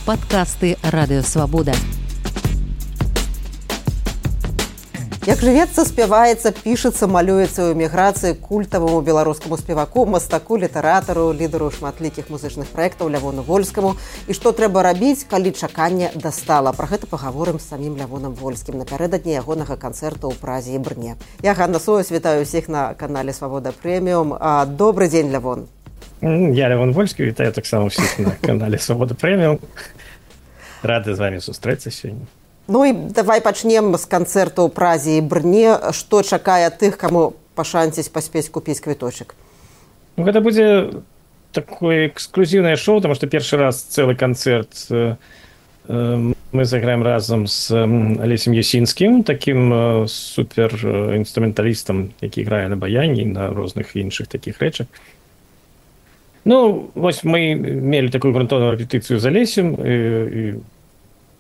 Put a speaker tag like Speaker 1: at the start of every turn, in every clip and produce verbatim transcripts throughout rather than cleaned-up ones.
Speaker 1: Падкасты Радыёвабода.
Speaker 2: Як жывецца, спяваецца, пішацца, малюецца ў эміграцыі культаваму беларускаму спеваку, мастаку, літаратару, лідару шматлікіх музычных праектаў Лявону Вольскаму. І што трэба рабіць, калі чаканне дастала? Пра гэта пагаворым з самім Лявоном Вольскім напярэдадні ягонага канцэрту ў Празе і Брне. Я Ганна Союз, вітаю ўсіх на канале Свабода Прэміум. Добры дзень, Лявон.
Speaker 3: Я Лявон Вольскі, вітаю таксама ўсіх на канале Свабода Прэміум. Рады з вамі сустрэцца сёння.
Speaker 2: Ну і давай пачнем з канцэрту ў Празе і Брне. Што чакае тых, каму пашанціць паспець купіць квіточак?
Speaker 3: Ну, гэта будзе такое эксклюзіўнае шоу, таму што першы раз цэлы канцэрт э, мы заграем разам з Алесем Ясінскім, такім э, супер інструменталістам, які грае на баяне і на розных іншых такіх рэчах. Ну, вось мы мелі такую грунтоўную рэпетыцыю з Алесем, і, і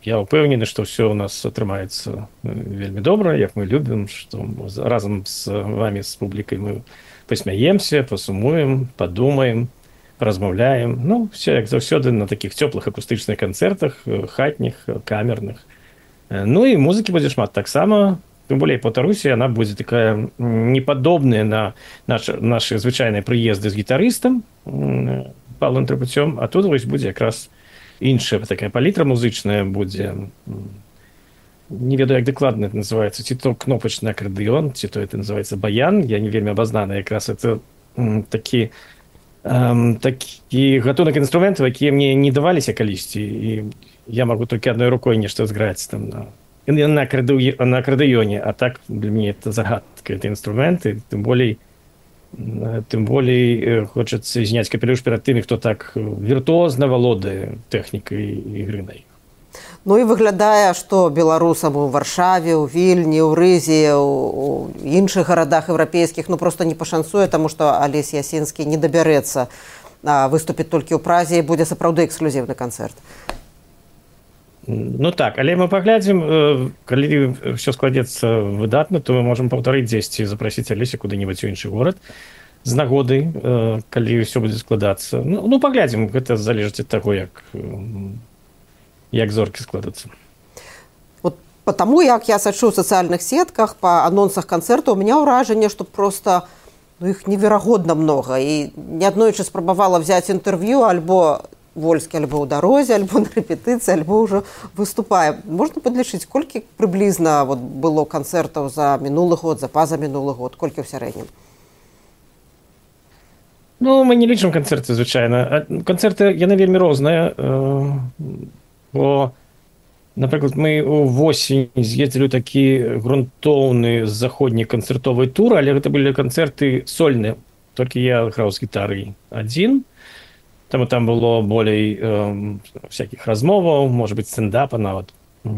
Speaker 3: я ўпэўнены, што ўсё ў нас атрымаецца вельмі добра, як мы любім, што разам з вамі, з публікай мы пасмяемся, пасумуем, падумаем, размаўляем. Ну, все як заўсёды на такіх цёплых акустычных канцэртах, хатніх, камерных. Ну і музыкі будзе шмат таксама. Тым болей, паўтаруся, яна будзе такая непадобная на наши, наши звычайныя прыезды з гітарыстам Павлом Трапуцём, а тут вось будзе якраз іншая такая палітра музычная будзе. Не ведаю, як дакладна это называецца, ці то кнопачны акардэон, ці то это называецца баян. Я не вельмі абазнаны, якраз это такі, эм, такі гатунак інструментаў, якія мне не даваліся калісьці, і я магу толькі адной рукой нешта зграць там на, на, акарды, на акардэёне, а так для мяне это загадка, это інструменты, тым болей тым болей хочацца зняць капелюш перад тымі, хто так віртуозна валодае тэхнікай ігры на іх.
Speaker 2: Ну і выглядае, што беларусам у Варшаве, у Вільні, у Рызе, у іншых гарадах еўрапейскіх ну проста не пашанцуе, таму што Алесь Ясінскі не дабярэцца выступіць толькі ў Празе і будзе сапраўды эксклюзіўны канцэрт.
Speaker 3: Ну так, але мы паглядзім, калі ўсё складзецца выдатна, то мы можам паўтарыць дзесьці, запрасіць Алеся куды-небудзь у іншы горад з нагоды, калі ўсё будзе складацца. Ну, ну паглядзім, гэта залежыць ад таго, як, як зоркі складацца.
Speaker 2: Вот потому, як я сачу ў сацыяльных сетках, па анонсах канцэрту, у меня ўражанне, што проста ну, іх неверагодна многа. І неаднойчы спрабавала взяць інтэрв'ю альбо Вольскі альбо ў дарозе, альбо на рэпетыцыі, альбо ўжо выступае. Можна падлічыць, колькі прыблізна вот, было канцэртаў за мінулы год, за пазамінулы год, колькі ў сярэднім?
Speaker 3: Ну, мы не лічым канцэрты, звычайна. Канцэрты, яны вельмі розныя. Бо, напрыклад, мы ўвосень з'ездзілі ў такі грунтоўны заходні канцэртовы тур, але гэта былі канцэрты сольныя. Толькі я граў з гітарай адзін. Таму там было болей э, всякіх размоваў, можа быць, стендапа, нават э,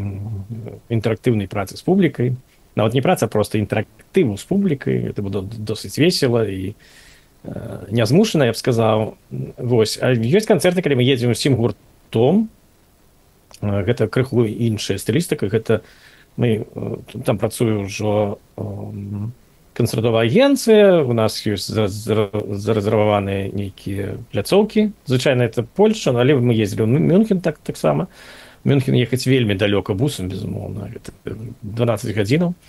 Speaker 3: інтэрактыўнай працы з публікай. Нават не праца, а проста інтэрактыву з публікай. Это было досыць весела і э, нязмушана, я б сказаў. Вось. А ёсць канцэрты, калі мы едзем усім гуртом. Гэта крыху іншая стылістыка. Гэта мы, там працую ўжо э, канцэртовая агенцыя, у нас ёсць зарэзерваваныя нейкія пляцоўкі. Звычайна это Польша, але мы ездзілі ў Мюнхен так, таксама. Мюнхен ехаць вельмі далёка бусам, безумоўна. Гэта дванаццаць гадзінаў.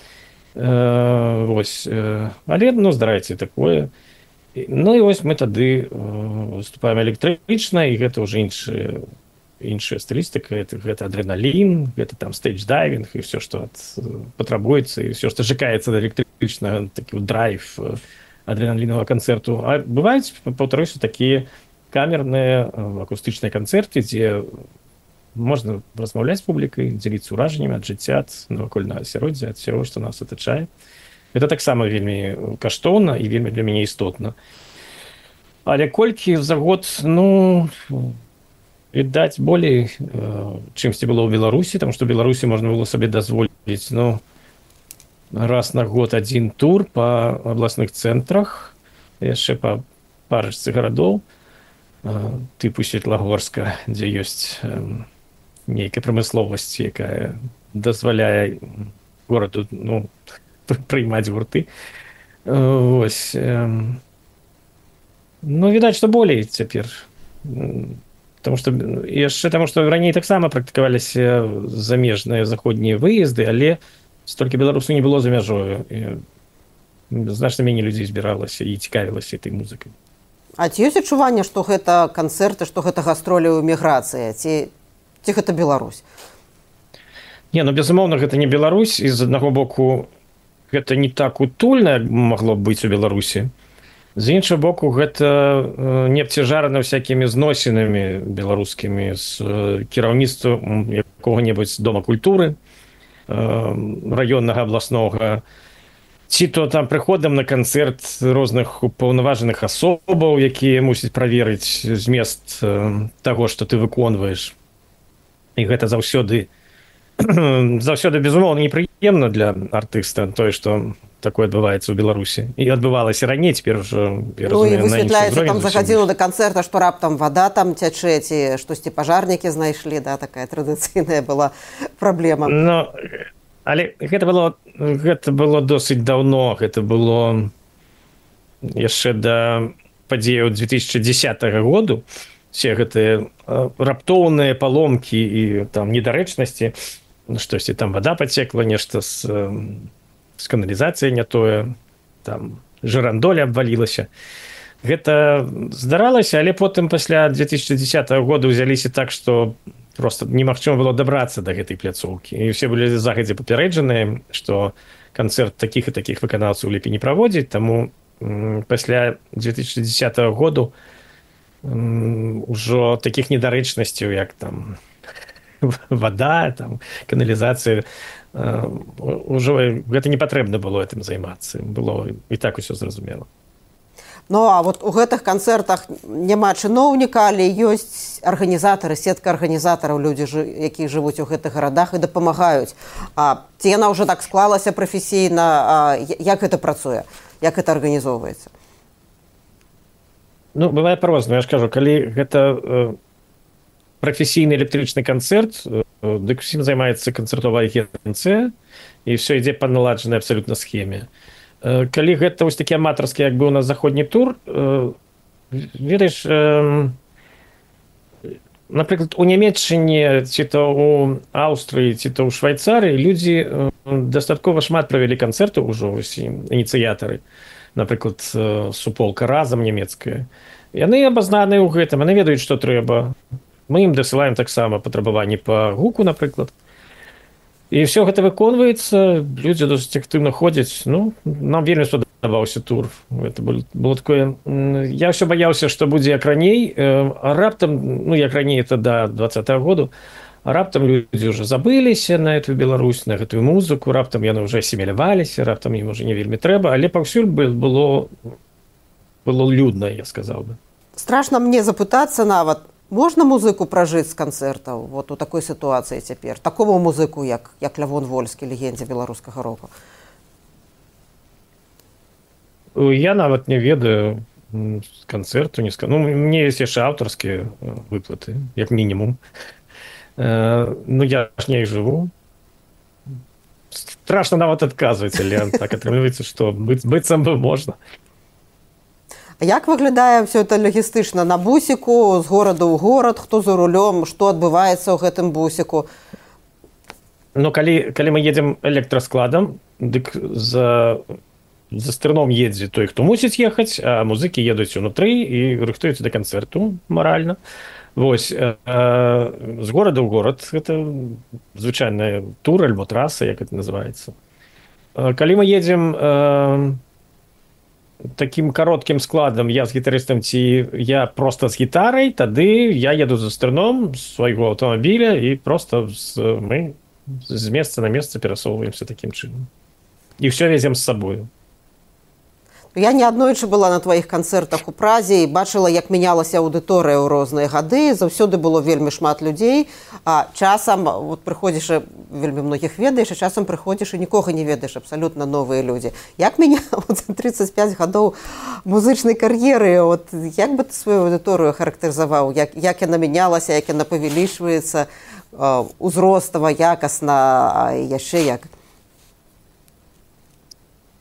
Speaker 3: Э, вось. Але, ну, здараецца такое. Ну і вось мы тады выступаем электрычна, і гэта ўжо іншая, іншая стылістыка. Это, гэта адреналін, гэта там стейдж-дайвінг, і ўсё, што патрабуецца, і ўсё, што чакаецца да электрычнага, такі драйв адреналінавага канцэрту. А бываюць, паўтаруся, такія камерныя акустычныя канцэрты, дзе можна размаўляць з публікай, дзеліцца ўражаннямі ад жыцця, ад навакольнага асяроддзя, ад усяго, што нас атачае. Гэта таксама вельмі каштоўна і вельмі для мяне істотна. Але колькі за год, ну, відаць, болей, чымсьці было ў Беларусі, таму што ў Беларусі можна было сабе дазволіць, ну, раз на год адзін тур па абласных цэнтрах, яшчэ па парачцы гарадоў, тыпу Светлагорска, дзе ёсць нейкая прамысловасць, якая дазваляе гораду, ну, прыймаць гурты. Вось. Ну, відаць, што болей цяпер. Потому что яшчэ таму што раней таксама практыкаваліся замежныя заходнія выезды, але столькі беларусаў не было за мяжою. Значна меней людзей збіралася і цікавілася этой музыкай.
Speaker 2: А ці ёсць адчуванне, што гэта канцэрты, што гэта гастролі ў эміграцыі, ці, ці гэта Беларусь?
Speaker 3: Не, ну безумоўна, гэта не Беларусь, і з аднаго боку гэта не так утульна, як магло б быць у Беларусі. З іншага боку, гэта не абцяжарана всякімі зносінамі беларускімі з кіраўніцтвам якога-небудзь дома культуры раённага, абласнога, ці то там прыходам на канцэрт розных упаўнаважаных асобаў, якія мусяць праверыць змест таго, што ты выконваеш. І гэта заўсёды заўсёды, безумоўна, непрыемна для артыста, тое, што такое адбываецца ў Беларусі. І адбывалася раней, цяпер ўжо, я разумею, на іншым узроўні.
Speaker 2: Высвятляецца, там захадзіла да канцэрта, што раптам вада там цячэ, ці штосьці пажарнікі знайшлі, да, такая традыцыйная была праблема.
Speaker 3: Ну, але гэта было, гэта было досыць даўно, гэта было яшчэ да падзеяў две тысячи дзесятага году. Все гэтыя раптоўныя паломкі і там недарэчнасці, штосьці там вода пацекла, нешта з, з каналізацыяй не тое, там жырандоля абвалілася. Гэта здаралася, але потым пасля две тысячи дзесятага года ўзяліся так, што просто немагчыма было дабрацца да гэтай пляцоўкі. І ўсе былі загадзя папярэджаныя, што канцэрт такіх і такіх выканаўцаў лепей не праводзіць, таму пасля две тысячи дзесятага году ўжо такіх недарэчнасцяў, як там вода, там, каналізацыя, ўжо гэта не патрэбна было гэтым займацца. Было і так усё зразумела.
Speaker 2: Ну, а вот у гэтых канцэртах няма чыноўніка, але ёсць арганізатары, сетка арганізатараў, людзі, якія жывуць у гэтых гарадах і дапамагаюць. А ці яна ўжо так склалася прафесійна, як гэта працуе, як гэта арганізоўваецца?
Speaker 3: Ну, бывае па-рознаму, я ж кажу, калі гэта прафесійны электрычны канцэрт, дык усім займаецца канцэртовая агенцыя, і ўсё ідзе па наладжанай абсалютна схеме. Калі гэта вось такі аматарскі, як бы у нас заходні тур, ведаеш, напрыклад, у Нямецчыне, ці то у Аўстрыі, ці то ў Швайцарыі людзі дастаткова шмат правялі канцэртаў ужо, вось ініцыятары. Напрыклад, суполка «Разам» нямецкая. Яны абазнаныя ў гэтым, яны ведаюць, што трэба. Мы ім дасылаем таксама патрабаванні па гуку, напрыклад. І ўсё гэта выконваецца, людзі досыць актыўна ходзяць. Ну, нам вельмі спадабаўся тур. Гэта было такое... Я ўсё баяўся, што будзе як раней, а раптам, ну, як раней, это да двадцатага году, а раптам людзі ўжо забыліся на эту Беларусь, на гэтую музыку, раптам яны ўжо асіміляваліся, раптам ім уже не вельмі трэба, але паўсюль было, было людна, я сказаў бы.
Speaker 2: Страшна мне запытацца нават, можна музыку пражыць з канцэртаў вот у такой сітуацыі цяпер? Такому музыку, як, як Лявон Вольскі, легендзе беларускага року?
Speaker 3: Я нават не ведаю з канцэрту, не скажу. Ну, мне ёсць яшчэ аўтарскія выплаты, як мінімум. Ну, я ж не жыву. Страшно нават адказваць, але так атрымліваецца, што быць, быццам бы можна.
Speaker 2: Як выглядае ўсё это лагістычна на бусіку, з горада ў горад, хто за рулём, што адбываецца ў гэтым бусіку?
Speaker 3: Ну, калі, калі мы едзем электраскладам, дык за, за стырном едзе той, хто мусіць ехаць, а музыкі едуць унутры і рыхтуюцца да канцэрту маральна. Вось, э, з горада ў горад, гэта звычайная тур альбо траса, як это называецца. Калі мы едзем э, такім кароткім складам, я з гітарыстам ці я проста з гітарай, тады я еду за стырном з свайго аўтамабіля і проста з, мы з месца на месца перасоўваемся такім чынам. І ўсё везем з сабою.
Speaker 2: Я неаднойчы была на тваіх канцэртах у Празе і бачыла, як мянялася аўдыторыя ў розныя гады. Заўсёды было вельмі шмат людзей, а часам вот, прыходзіш, вельмі многіх ведаеш, а часам прыходзіш і нікога не ведаеш, абсалютна новыя людзі. Як мяне за тридцать пять гадоў музычнай кар'еры, вот, як бы ты сваю аўдыторыю характарызаваў? Як, як яна мянялася, як яна павялічваецца, узростава, якасна, а яшчэ як?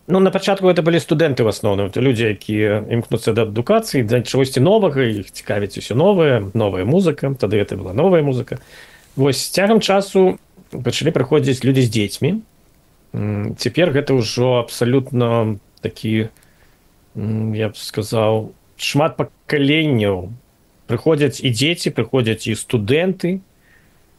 Speaker 3: Ну, на пачатку гэта былі студэнты ў асноўным, это людзі, якія імкнуцца да адукацыі, да чагосьці новага, іх цікавіць усё новае, новая музыка, тады гэта была новая музыка. Вось з цягам часу пачалі прыходзіць людзі з дзецьмі. Цяпер гэта ўжо абсалютна такі, я б сказаў, шмат пакаленняў. Прыходзяць і дзеці, прыходзяць і студэнты,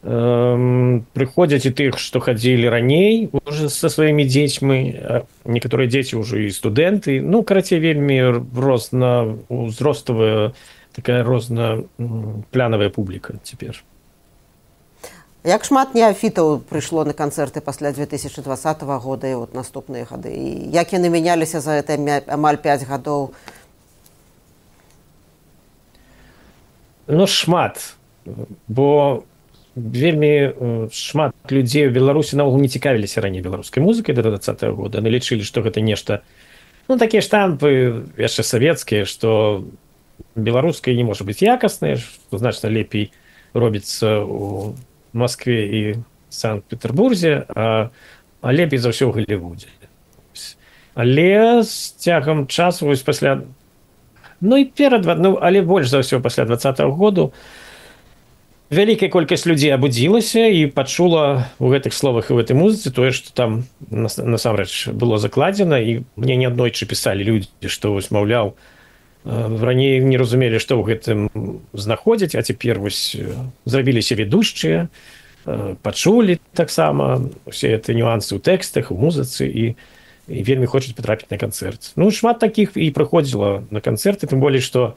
Speaker 3: прыходзяць і тых, што хадзілі раней уже са сваімі дзецьмі, некаторыя дзеці ўжо і студэнты, ну, карацей, вельмі розна узроставая, такая розна плянавая публіка цяпер.
Speaker 2: Як шмат неафітаў прыйшло на канцэрты пасля две тысячы двадцатага года і вот наступныя гады? І як яны мяняліся за гэта амаль пяць гадоў?
Speaker 3: Ну, шмат, бо вельмі шмат людзей у Беларусі наогул не цікавіліся раней беларускай музыкай да двадцатага года. Яны лічылі, што гэта нешта, ну, такія штампы яшчэ савецкія, што беларускай не можа быць якаснай, што значна лепей робіцца ў Маскве і Санкт-Петербурзе, а, а лепей за ўсё ў Галівудзе. Але з цягам часу, вось пасля, ну і перад, ну, але больш за ўсё пасля двадцатага году, вялікая колькасць людзей абудзілася і пачула ў гэтых словах і ў гэтай музыцы тое, што там насамрэч было закладзена, і мне неаднойчы пісалі людзі, што вось, маўляў, раней не разумелі, што ў гэтым знаходзяць, а цяпер вось зрабіліся ведушчыя, пачулі таксама усе гэтыя нюансы ў тэкстах, у музыцы і, і вельмі хочуць патрапіць на канцэрт. Ну, шмат такіх і прыходзіла на канцэрты, тым болей, што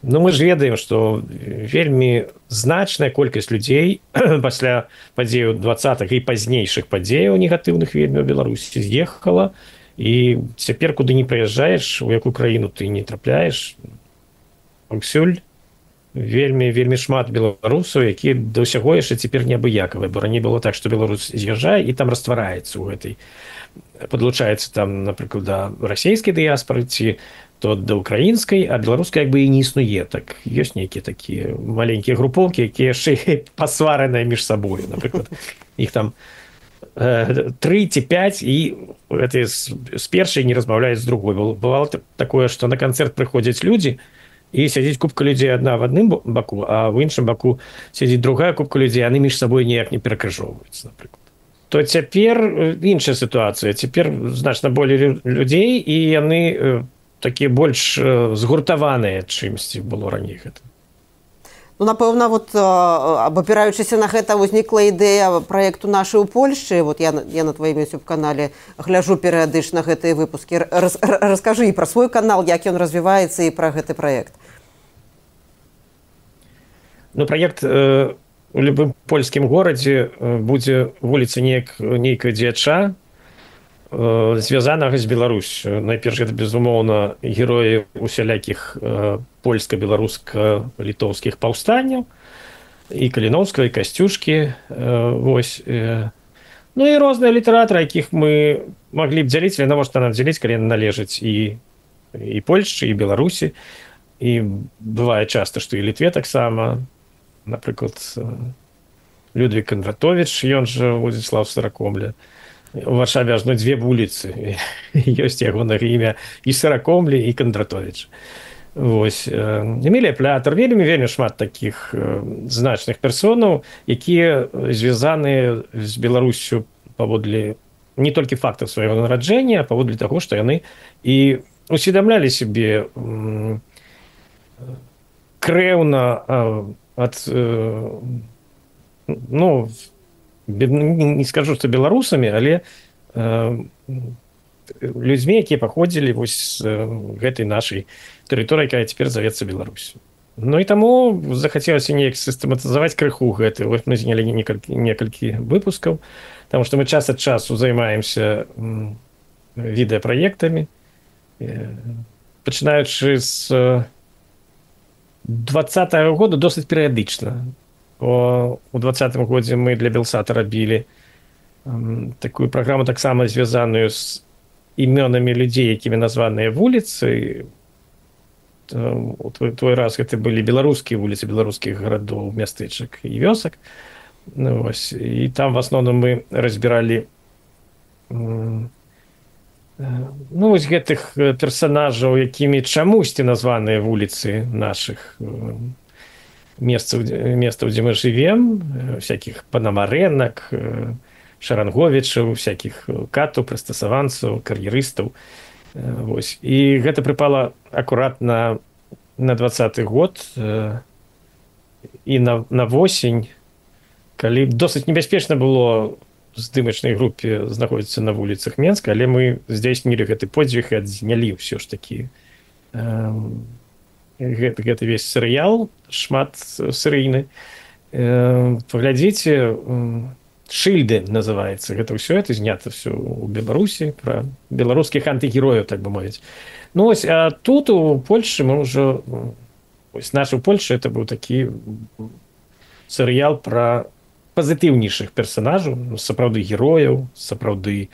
Speaker 3: ну, мы ж ведаем, што вельмі значная колькасць людзей пасля падзеяў двадцатых і пазнейшых падзеяў негатыўных вельмі ў Беларусі з'ехала, і цяпер куды не прыязджаеш, у якую краіну ты не трапляеш, паўсюль вельмі вельмі шмат беларусаў, якія да ўсяго яшчэ цяпер неабыякавыя, бо раней было так, што беларус з'язджае і там раствараецца ў гэтай, падлучаецца там, напрыклад, да расійскай дыяспары ці то да украінскай, а беларускай як бы і не існуе. Так ёсць нейкія такія маленькія групоўкі, якія яшчэ пасвараныя між сабою, напрыклад, іх там тры ці пяць, і гэтыя з першай не размаўляюць з другой. Бывало такое, што на канцэрт прыходзяць людзі, і сядзіць купка людзей адна в адным баку, а в іншым баку сядзіць другая купка людзей, яны між сабой ніяк не перакрыжоўваюцца, напрыклад. То цяпер іншая сітуацыя. Цяпер значна болей людзей, і яны такія больш згуртаваныя, чымсьці было раней гэта.
Speaker 2: Ну, напэўна, вот, абапіраючыся на гэта, узнікла ідэя праекту «Нашы ў Польшчы». Вот я, я на тваім ютуб-канале гляджу перыядычна гэтыя выпускі. Рас, раскажы і пра свой канал, як ён развіваецца, і пра гэты праект.
Speaker 3: Ну, праект э, у любым польскім горадзе будзе вуліца неяк, нейкая дзяча, звязанага з Беларусю. Найперш, гэта, безумоўна, героі усялякіх э, польска-беларуска-літоўскіх паўстанняў, і Каліноўскага, і Касцюшкі. Э, вось, э. Ну і розныя літаратары, якіх мы маглі б дзяліць, але навошта нам дзяліць, калі яны належаць і, і Польшчы, і Беларусі. І бывае часта, што і Літве таксама. Напрыклад, Людвік Кандратовіч, ён жа Владзіслаў Саракомля. У Варшаве аж ну, дзве вуліцы. Ёсць ягонае імя і Саракомлі, і Кандратовіч. Вось. Эмілія Плятар, вельмі, вельмі шмат такіх значных персонаў, якія звязаныя з Беларусю паводле не толькі фактаў свайго нараджэння, а паводле таго, што яны і усведамлялі сябе крэўна ад, ну, не скажу, што беларусамі, але э, людзьмі, якія паходзілі вось з гэтай нашай тэрыторыі, якая цяпер завецца Беларусю. Ну і таму захацелася неяк сістэматызаваць крыху гэты. Вось мы знялі некалькі, некалькі выпускаў, таму што мы час ад часу займаемся відэапраектамі, пачынаючы з двадцатага года досыць перыядычна. У двадцатым годзе мы для Белсата рабілі такую праграму, таксама звязаную з імёнамі людзей, якімі названыя вуліцы. У той раз гэта былі беларускія вуліцы беларускіх гарадоў, мястэчак і вёсак. Ну, вось. І там в асноўным мы разбіралі ну вось гэтых персанажаў, якімі чамусьці названыя вуліцы нашых месцаў, месцаў, дзе мы жывем, всякіх панамарэнак, шаранговічаў, всякіх катаў, прыстасаванцаў, кар'ерыстаў. Вось. І гэта прыпала акуратна на двадцаты год і на, на восень, калі досыць небяспечна было здымачнай групе знаходзіцца на вуліцах Менска, але мы здзейснілі гэты подзвіг і адзнялі ўсё ж такі гэты, гэты весь серыял, шмат серыйны. Паглядзіце, «Шыльды» называецца. Гэта ўсё, это знята ўсё ў Беларусі, пра беларускіх антыгерояў, так бы мовіць. Ну вось, а тут у Польшчы мы ўжо, вось наша ў Польшчы, это быў такі серыял пра пазітыўнейшых персанажаў, сапраўды герояў, сапраўды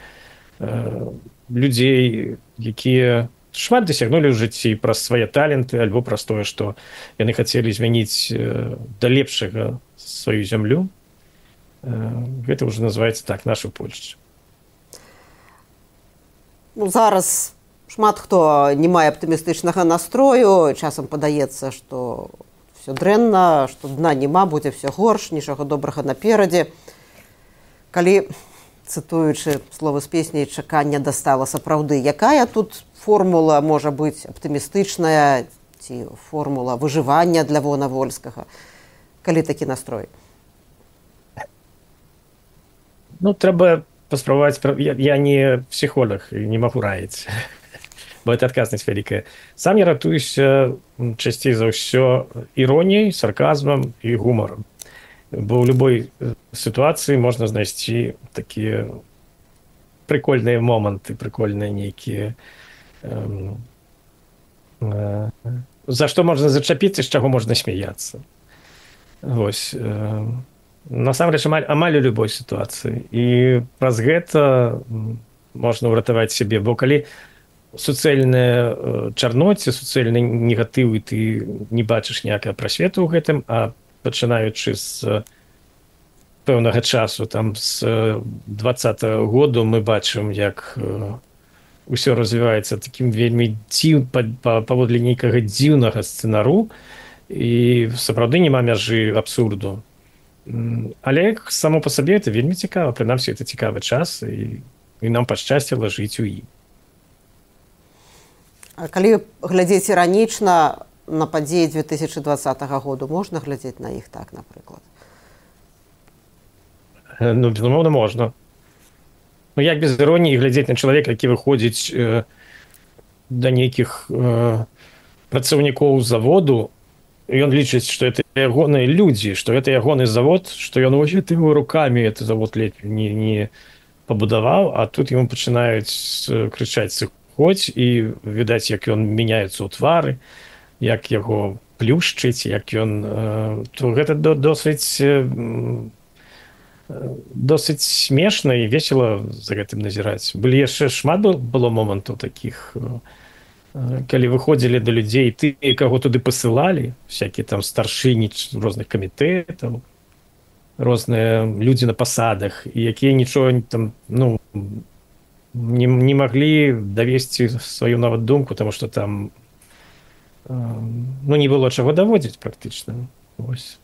Speaker 3: э, людзей, якія шмат дасягнулі ў жыцці праз свае таленты альбо праз тое, што яны хацелі змяніць э, да лепшага сваю зямлю. Э, гэта ўжо называецца так, наша Польшча.
Speaker 2: Ну, зараз шмат хто не мае аптымістычнага настрою, часам падаецца, што все дрэнна, што дна няма, будзе все горш, нічога добрага наперадзе. Калі, цытуючы словы з песні, чакання дастала сапраўды, якая тут формула можа быць аптымістычная ці формула выжывання для Лявона Вольскага, калі такі настрой?
Speaker 3: Ну, трэба паспрабаваць, я, я не псіхолог і не магу раіць. Бо это адказнасць вялікая. Сам я ратуюся часцей за ўсё іроніяй, сарказмам і гумарам. Бо ў любой сітуацыі можна знайсці такія прикольныя моманты, прикольныя нейкія, э, э, за што можна зачапіцца, з чаго можна смяяцца. Вось. Э, насамрэч, амаль, амаль у любой сітуацыі. І праз гэта можна ўратаваць сябе, бо калі суцэльная чарноце, суцэльны негатыў, і ты не бачыш ніякага прасвету ў гэтым, а пачынаючы з пэўнага часу, там з двадцатага году мы бачым, як усё развіваецца такім вельмі дзіў, паводле нейкага дзіўнага сцэнару, і сапраўды няма мяжы абсурду. Але само па сабе это вельмі цікава, прынамсі это цікавы час, і, і нам пашчасціла жыць у ім.
Speaker 2: Калі глядзець іранічна на падзеі две тысячы двадцатага году, можна глядзець на іх так, напрыклад?
Speaker 3: Ну, безумоўна, можна. Ну, як без іроніі глядзець на чалавека, які выходзіць э, да нейкіх э, працаўнікоў заводу, і ён лічыць, што это ягоныя людзі, што это ягоны завод, што ён вось гэтымі рукамі этот завод ледзь не, не пабудаваў, а тут яму пачынаюць крычаць сыходзь, і відаць, як ён мяняецца ў твары, як яго плюшчыць, як ён... То гэта досыць, досыць смешна і весела за гэтым назіраць. Былі яшчэ шмат было момантаў такіх, калі выходзілі да людзей, ты, каго туды пасылалі, всякие там старшыні розных камітэтаў, розныя людзі на пасадах, і якія нічога там, ну, не, не маглі давесці сваю нават думку, тому што там ну, не было чаго даводзіць практычна. Ось.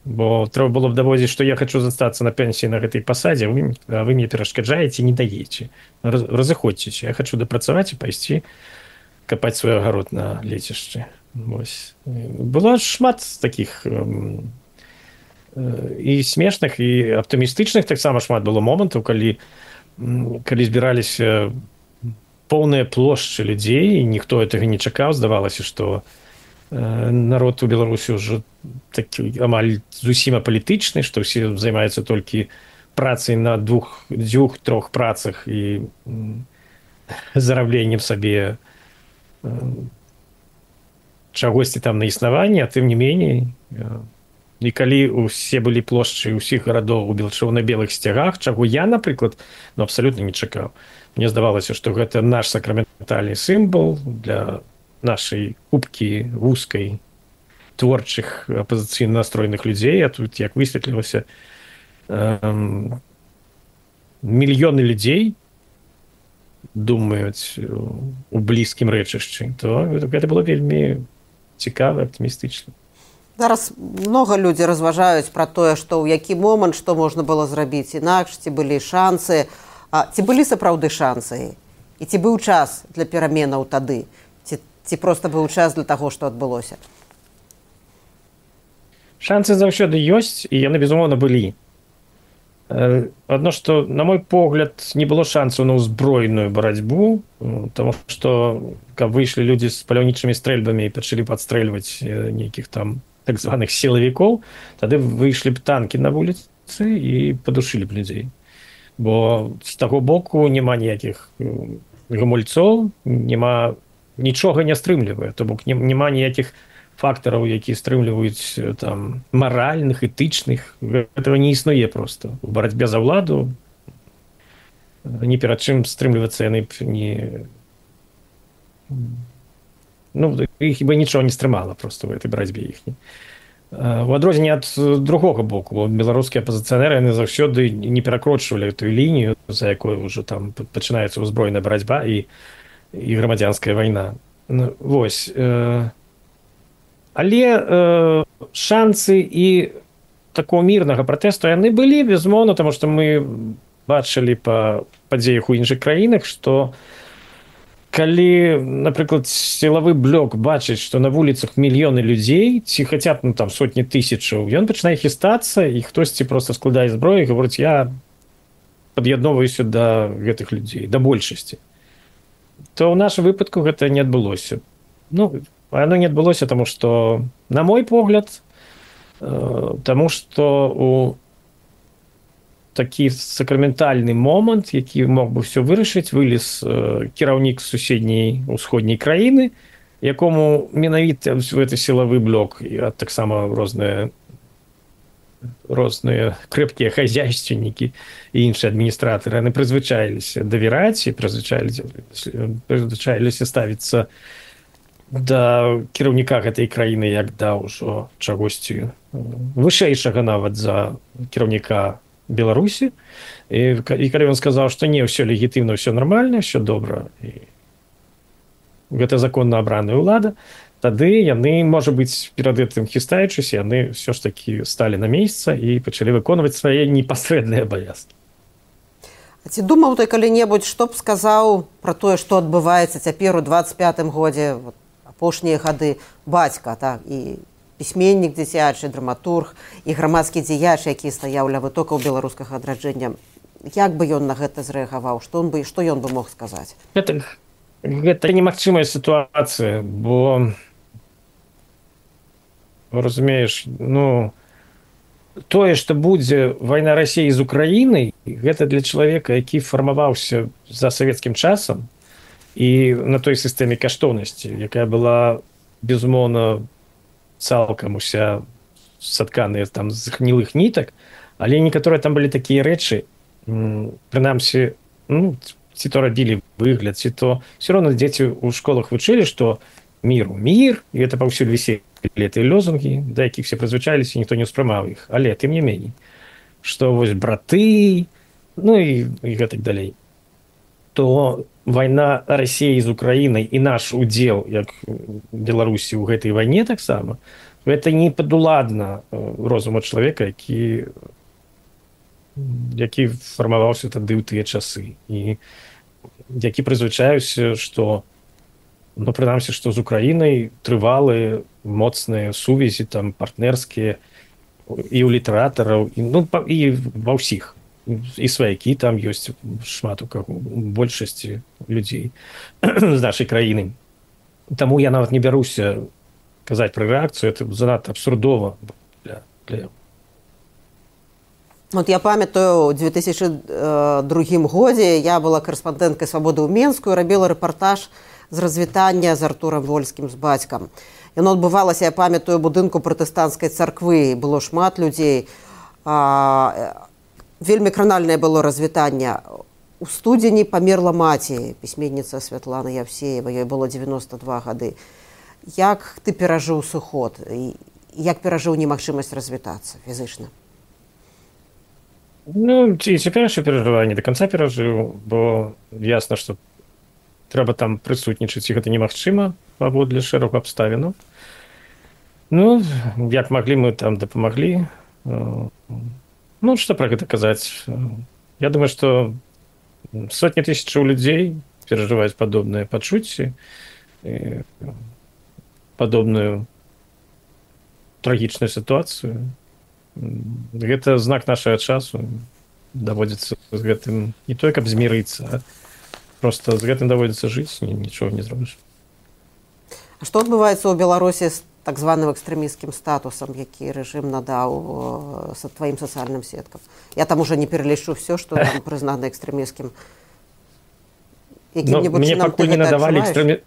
Speaker 3: Бо трэба было б даводзіць, што я хачу застацца на пенсіі на гэтай пасадзе, вы, а вы мне перашкаджаеце, не даеце. Разыходзьцеся, я хачу дапрацаваць і пайсці капаць свой агарод на лецішчы. Ось. Было шмат такіх і смешных, і аптымістычных, таксама шмат было момантаў, калі, калі збіраліся поўныя плошчы людзей, і ніхто гэтага не чакаў, здавалася, што народ у Беларусі ўжо такі амаль зусім апалітычны, што ўсе займаюцца толькі працай на двух, дзвюх, трох працах і зарабленнем сабе чагосьці там на існаванне, а тым не меней. І калі усе былі плошчы ўсіх гарадоў у чырвона-белых сцягах, чаго я, напрыклад, ну, абсалютна не чакаў. Мне здавалася, што гэта наш сакраментальны сімвал для нашай купкі вузкай творчых апазіцыйна настроеных людзей, а тут, як высветлілася, эм, мільёны людзей думаюць у блізкім рэчышчы, то гэта было вельмі цікава, аптымістычна.
Speaker 2: Зараз много людзі разважаюць пра тое, што ў які момант што можна было зрабіць інакш, ці былі шансы, а ці былі сапраўды шансы, і ці быў час для пераменаў тады, ці, ці проста быў час для таго, што адбылося?
Speaker 3: Шансы заўсёды ёсць, і яны, безумоўна, былі. Адно, што, на мой погляд, не было шансаў на ўзброеную барацьбу, таму што, каб выйшлі людзі з паляўнічымі стрэльбамі і пачалі падстрэльваць нейкіх там так званых сілавікоў, тады выйшлі б танкі на вуліцы і падушылі б людзей. Бо з таго боку няма ніякіх гамульцоў, няма, нічога не стрымлівае, то бок няма ніякіх фактараў, якія стрымліваюць там маральных, этычных. Гэтага не існуе проста. У барацьбе за ўладу ні перад чым стрымлівацца яны б не... Ну, іх бы нічого не стрымала проста ў гэтай барацьбе іхняй. У адрозненне ад другога боку, беларускія апазіцыянеры яны заўсёды не перакрочвалі тую лінію, за якой ўжо там пачынаецца ўзброеная барацьба і, і грамадзянская вайна. Ну, вось. Але э, шансы і такого мірнага пратэсту яны былі, безумоўна, таму што мы бачылі па падзеях у іншых краінах, што калі, напрыклад, сілавы блок бачыць, што на вуліцах мільёны людзей, ці хаця б ну, там сотні тысячаў, ён пачынае хістацца, і хтосьці проста складае зброю і гаворыць, я пад'ядноўваюся да гэтых людзей, да большасці. То ў нашым выпадку гэта не адбылося. Ну, оно не адбылося, таму што, на мой погляд, таму што у такі сакраментальны момант, які мог бы ўсё вырашыць, вылез кіраўнік суседняй усходняй краіны, якому менавіта гэты сілавы блок, а таксама розныя розныя крэпкія хазяйственнікі і іншыя адміністратары, яны прызвычаіліся давяраць і прызвычаіліся ставіцца да кіраўніка гэтай краіны як да ўжо чагосьці вышэйшага нават за кіраўніка Беларусі. І, і калі ён сказаў, што не, ўсё легітымна, ўсё нармальна, ўсё добра, і гэта законна абраная ўлада, тады яны, можа быць, перад гэтым хістаючыся, яны ўсё ж такі сталі на месца і пачалі выконваць свае непасрэдныя абавязкі.
Speaker 2: А ці думаў ты калі-небудзь, што б сказаў пра тое, што адбываецца цяпер у дваццаць пятым годзе, вот, апошнія гады бацька, так, і пісьменнік дзіцячы, драматург, і грамадскі дзеяч, які стаяў ля вытокаў беларускага адраджэння. Як бы ён на гэта зрэагаваў? Што ён бы, што ён бы мог сказаць?
Speaker 3: Гэта, гэта немагчымая сітуацыя, бо, разумееш, ну, тое, што будзе вайна Расіі з Украінай, гэта для чалавека, які фармаваўся за савецкім часам, і на той сістэме каштоўнасці, якая была, безумоўна, цалкам уся сатканая там з гнілых нітак, але некаторыя там былі такія рэчы, прынамсі, ну, ці то рабілі выгляд, ці то все роўно дзеці ў школах вучылі, што міру мір, і гэта паўсюль віселі гэтыя лозунгі, да якіх все прызвычаліся, ніхто не ўспрымаў іх, але тым не меней, што вось браты, ну і, і гэтак далей. То вайна Расіі з Украінай і наш удзел, як Беларусі ў гэтай вайне таксама, гэта не падуладна розуму чалавека, які, які фармаваўся тады ў тыя часы. І які прызвычаюся, што, ну, прынамсі, што з Украінай трывалыя, моцныя сувязі, там, партнерскія, і ў літаратараў, і, ну, і ва ўсіх. І сваякі там ёсць шмат у каго, большасці людзей з нашай краіны. Таму я нават не бяруся казаць пра рэакцыю, это занадта абсурдова для, для...
Speaker 2: Вот я памятаю, у две тысячи другім годзе я была карэспандэнткай «Свабоды» ў Менску і рабіла рэпартаж з развітання з Артурам Вольскім, з бацькам. Яно адбывалася, я памятаю, будынку пратэстанцкай царквы, было шмат людзей. А, вельмі кранальнае было развітанне. У студзені памерла маці, пісьменніца Святлана Явсеева, ёй было дзевяноста два гады. Як ты перажыў сыход? І як перажыў немагчымасць развітацца фізычна?
Speaker 3: Ну, і цяперашняе перажыванне да канца перажыў, бо ясна, што трэба там прысутнічаць, і гэта немагчыма паводле шэрагу абставінаў. Ну, як маглі, мы там дапамаглі. Ну, што пра гэта казаць? Я думаю, што сотні тысячаў людзей перажываюць падобныя пачуцці, падобную трагічную сітуацыю. Гэта знак нашага часу. Даводзіцца з гэтым не той, каб змірыцца, а просто з гэтым даводзіцца жыць, нічога не зробіш.
Speaker 2: А што адбываецца ў Беларусі з так званым экстрэмісцкім статусам, які рэжым надаў са тваім сацыяльным сеткам? Я там уже не пералічу все, што там прызнана экстрэмісцкім.
Speaker 3: Якім-небудзь чынам ты гэта адчуваеш?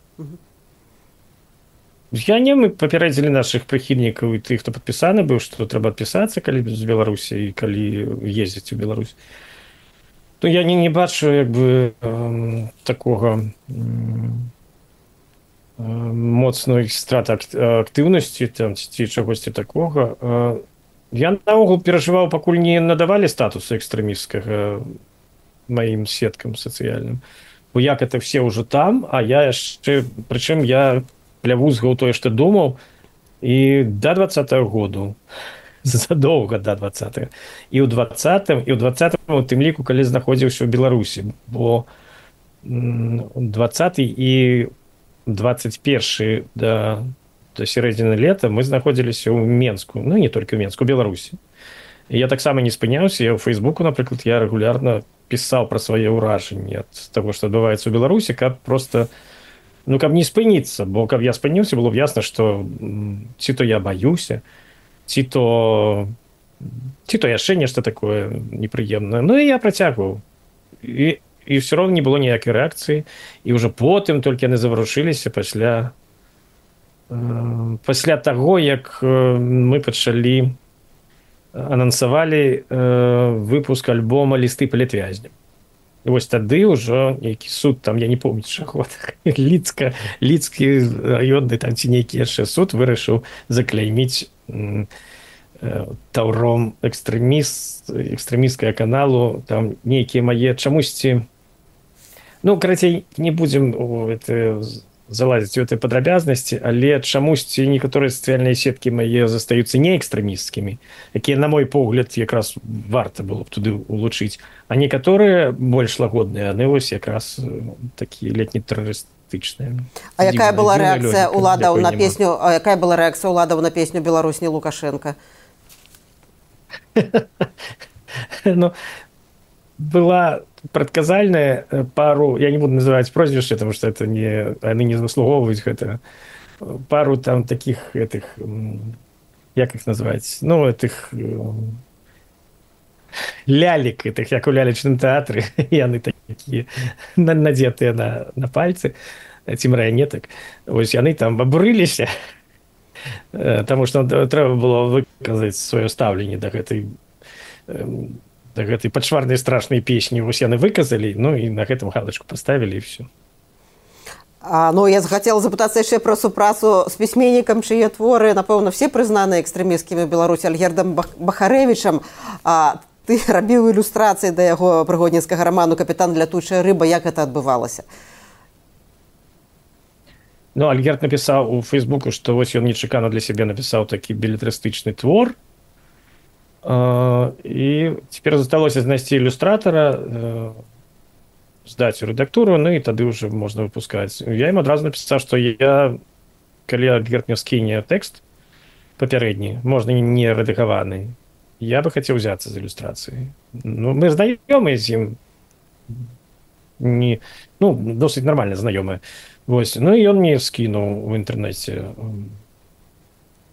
Speaker 3: Я не, мы папярэдзілі нашых прыхільнікаў і тых, хто падпісаны быў, што трэба адпісацца, калі з Беларусі і калі ездзіць у Беларусь. То я не, не бачу як бы э, такога э, моцной страты актыўнасці там, ці чагосьці такога. Э, я наогул перажываў, пакуль не надавалі статусу экстрэмісцкага маім сеткам сацыяльным. Бо як это все ўжо там, а я яшчэ, прычым я плявузгаў тое, што думаў, і да двадцатага году, задоўга да двадцатага, і ў двадцатым, і ў двадцатым, у тым ліку, калі знаходзіўся ў Беларусі, бо двадцаты і двадцать першы да, да сярэдзіны лета мы знаходзіліся ў Менску, ну, не толькі ў Менску, у Беларусі. І я таксама не спыняўся, я ў Фейсбуку, напрыклад, я рэгулярна пісаў пра свае ўражанні ад таго, што адбываецца ў Беларусі, каб проста ну, каб не спыніцца, бо каб я спыніўся, было б ясна, што ці то я баюся, ці то ці то яшчэ нешта такое непрыемнае. Ну, і я працягваў. І, і ўсё роўна не было ніякай рэакцыі. І ўжо потым толькі яны заварушыліся пасля, э, пасля таго, як мы пачалі, анансавалі э, выпуск альбома «Лісты палітвязням». І вось тады ўжо нейкі суд, там, я не помню, чаго, Ліцка, Ліцкі раённы, там, ці нейкі яшчэ суд вырашыў закляйміць э, таўром экстрэміст, экстрэмісцкага каналу, там, нейкія мае чамусьці... Ну, карацей, не будзем это, залазіць у этой падрабязнасці, але чамусьці некаторыя сацыяльныя сеткі мае застаюцца не экстрэмісцкімі, якія, на мой погляд, якраз варта было б туды улучыць, а некаторыя больш лагодныя, яны вось якраз такія летне-тэрарыстычныя.
Speaker 2: А якая была рэакцыя ўладаў на песню, а якая была рэакцыя ўладаў на песню «Беларусь не Лукашенко»?
Speaker 3: Ну, была прадказальная пару, я не буду называць прозвішча, потому что это не, они не заслугоўваюць гэта, пару там таких этих, як их называць, ну, этих лялек, этих, як у лялечным тэатры, яны такія надетыя на, на пальцы, ці марыянетак, вось яны там абурыліся, потому что трэба было выказаць сваё стаўленне да гэтай да гэтай пачварнай страшнай песні, вось яны выказалі, ну і на гэтым галачку паставілі і все.
Speaker 2: А, ну, я захацела запытацца яшчэ пра супрацу з пісьменнікам, чые творы, напэўна, все прызнаны экстрэмісцкімі ў Беларусі, Альгердам Бахарэвічам. А ты рабіў ілюстрацыі да яго прыгодніцкага раману «Капітан лятучая рыба». Як гэта адбывалася?
Speaker 3: Ну, Альгерд напісаў у Фейсбуку, што вось ён нечакана для сябе напісаў такі белетрыстычны твор. Uh, і цяпер засталося знайсці ілюстратара, uh, здаць у рэдактуру, ну і тады ўжо можна выпускаць. Я ім адразу напісаў, што я, калі Альгерд мне скіне тэкст папярэдні, можна не рэдагаваны, я бы хацеў узяцца з ілюстрацыі. Ну, мы знаёмыя з ім, не, ну, досыць нармальна знаёмыя. Вось. Ну і ён мне скінуў у інтэрнэце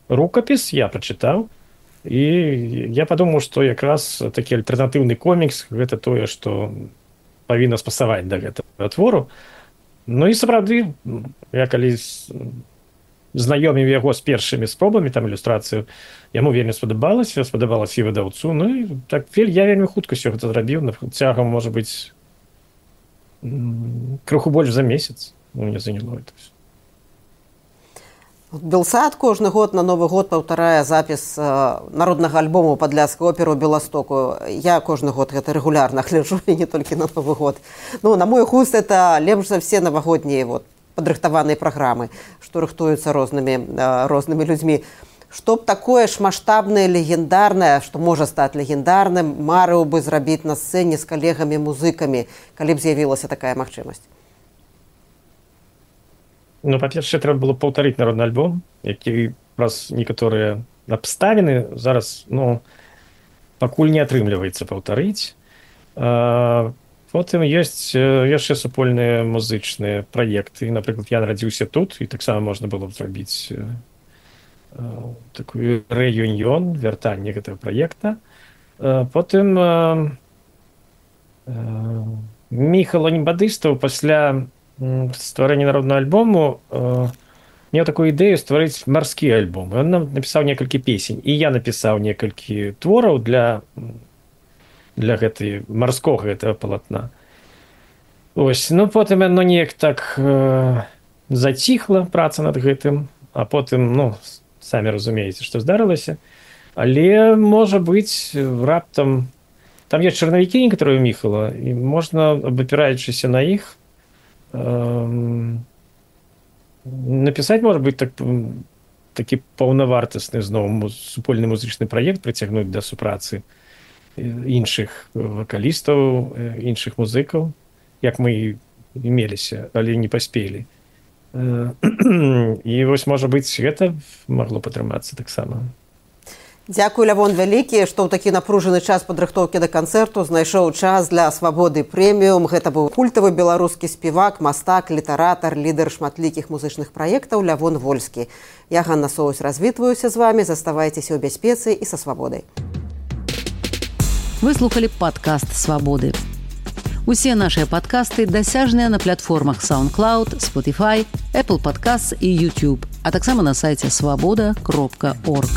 Speaker 3: рукапіс, я прачытаў. І я падумаў, што якраз такі альтэрнатыўны комікс гэта тое, што павінна спасаваць да гэтага твору. Ну і сапраўды, я калі знаёміў яго з першымі спробамі там ілюстрацыю, яму вельмі спадабалася, спадабалася і выдаўцу. Ну і так я вельмі хутка ўсё гэта зрабіў, цягам, можа быць, крыху больш за месяц. Ну, мне заняло это все.
Speaker 2: Белсад кожны год на Новы год паўтарае запіс народнага альбому падляцкай оперы ў Беластоку. Я кожны год гэта рэгулярна гляджу, і не толькі на Новы год. Ну, на мой густ, это лепш за все навагоднія вот, падрыхтаваныя праграмы, што рыхтуюцца рознымі, рознымі людзьмі. Што б такое ж маштабнае, легендарнае, што можа стаць легендарным, марыў бы зрабіць на сцэне з калегамі-музыкамі, калі б з'явілася такая магчымасць?
Speaker 3: Ну, па-першае, трэба было паўтарыць народны альбом, які праз некаторыя абставіны зараз, ну, пакуль не атрымліваецца паўтарыць. Потым ёсць яшчэ супольныя музычныя праекты. Напрыклад, я нарадзіўся тут, і таксама можна было б зрабіць такую рэюніён, вяртанне гэтага праекта. Потым Міхал Анібадыстаў пасля стварэння народнага альбому э, меў такую ідэю стварыць марскі альбом. Ён нам напісаў некалькі песень, і я напісаў некалькі твораў для, для гэтай марскога гэтага палатна. Ось, ну потым яно неяк так э, заціхла, праца над гэтым, а потым, ну, самі разумееце, што здарылася. Але, можа быць, раптам... Там ёсць чарнавікі некаторыя ў Міхала, і можна, абапіраючыся на іх, напісаць, можа быць, так, такі паўнавартасны зноў супольны музычны праект, прыцягнуць да супрацы іншых вакалістаў, іншых музыкаў, як мы меліся, але не паспелі. І вось, можа быць, гэта магло падтрымацца таксама.
Speaker 2: Дзякуй, Лявон вялікі, што ў такі напружаны час падрыхтоўкі да канцэрту знайшоў час для «Свабоды прэміум». Гэта быў культавы беларускі спевак, мастак, літаратар, лідар шматлікіх музычных праектаў Лявон Вольскі. Я, Ганна Соусь, развітваюся з вамі. Заставайцеся ў бяспецы і са свабодай.
Speaker 1: Вы слухалі падкаст «Свабоды». Усе нашыя падкасты дасяжныя на платформах SoundCloud, Spotify, Apple Podcasts і YouTube, а таксама на сайце свабода кропка орг.